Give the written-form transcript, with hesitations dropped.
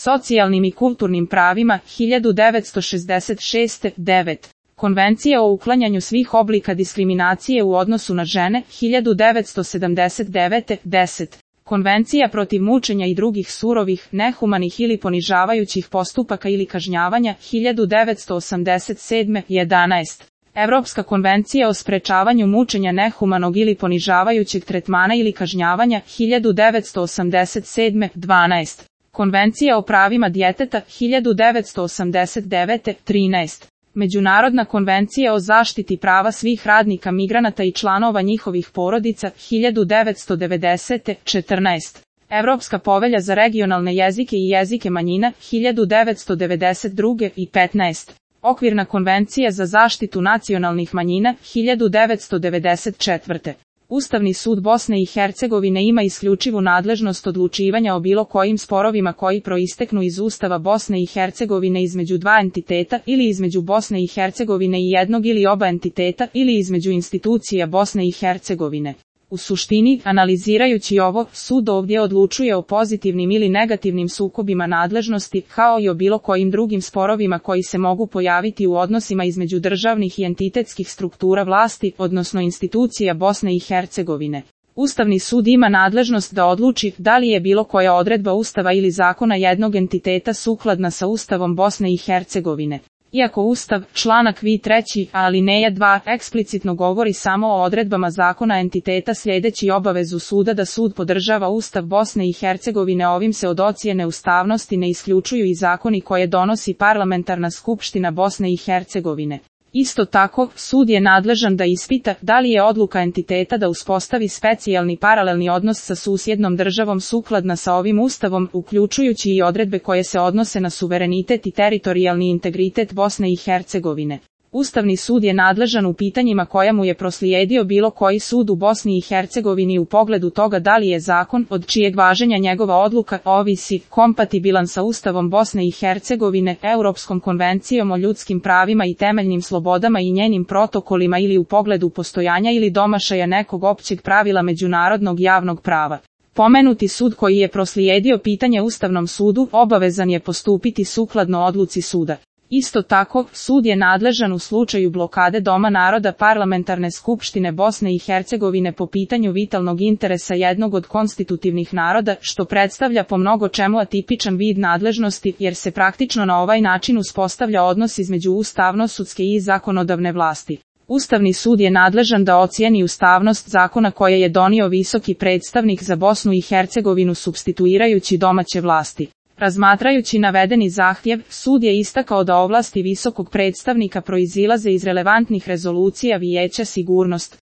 socijalnim i kulturnim pravima 1966. 9. Konvencija o uklanjanju svih oblika diskriminacije u odnosu na žene 1979. 10. Konvencija protiv mučenja i drugih surovih, nehumanih ili ponižavajućih postupaka ili kažnjavanja 1987. 11. Evropska konvencija o sprečavanju mučenja, nehumanog ili ponižavajućeg tretmana ili kažnjavanja 1987. 12. Konvencija o pravima djeteta 1989. 13. Međunarodna konvencija o zaštiti prava svih radnika migranata i članova njihovih porodica 1990. 14. Evropska povelja za regionalne jezike i jezike manjina 1992. i 15. Okvirna konvencija za zaštitu nacionalnih manjina 1994. Ustavni sud Bosne i Hercegovine ima isključivu nadležnost odlučivanja o bilo kojim sporovima koji proisteknu iz Ustava Bosne i Hercegovine između dva entiteta ili između Bosne i Hercegovine i jednog ili oba entiteta ili između institucija Bosne i Hercegovine. U suštini, analizirajući ovo, sud ovdje odlučuje o pozitivnim ili negativnim sukobima nadležnosti, kao i o bilo kojim drugim sporovima koji se mogu pojaviti u odnosima između državnih i entitetskih struktura vlasti, odnosno institucija Bosne i Hercegovine. Ustavni sud ima nadležnost da odluči da li je bilo koja odredba Ustava ili zakona jednog entiteta sukladna sa Ustavom Bosne i Hercegovine. Iako Ustav, članak V3, alineja 2, eksplicitno govori samo o odredbama zakona entiteta sljedeći obavezu suda da sud podržava Ustav Bosne i Hercegovine, ovim se od ocjene ustavnosti ne isključuju i zakoni koje donosi Parlamentarna skupština Bosne i Hercegovine. Isto tako, sud je nadležan da ispita da li je odluka entiteta da uspostavi specijalni paralelni odnos sa susjednom državom sukladna sa ovim Ustavom, uključujući i odredbe koje se odnose na suverenitet i teritorijalni integritet Bosne i Hercegovine. Ustavni sud je nadležan u pitanjima koja mu je proslijedio bilo koji sud u Bosni i Hercegovini u pogledu toga da li je zakon, od čijeg važenja njegova odluka ovisi, kompatibilan sa Ustavom Bosne i Hercegovine, Europskom konvencijom o ljudskim pravima i temeljnim slobodama i njenim protokolima ili u pogledu postojanja ili domašaja nekog općeg pravila međunarodnog javnog prava. Pomenuti sud koji je proslijedio pitanje Ustavnom sudu obavezan je postupiti sukladno odluci suda. Isto tako, sud je nadležan u slučaju blokade Doma naroda Parlamentarne skupštine Bosne i Hercegovine po pitanju vitalnog interesa jednog od konstitutivnih naroda, što predstavlja po mnogo čemu atipičan vid nadležnosti, jer se praktično na ovaj način uspostavlja odnos između ustavno-sudske i zakonodavne vlasti. Ustavni sud je nadležan da ocijeni ustavnost zakona koje je donio visoki predstavnik za Bosnu i Hercegovinu supstituirajući domaće vlasti. Razmatrajući navedeni zahtjev, sud je istakao da ovlasti visokog predstavnika proizilaze iz relevantnih rezolucija Vijeća sigurnosti.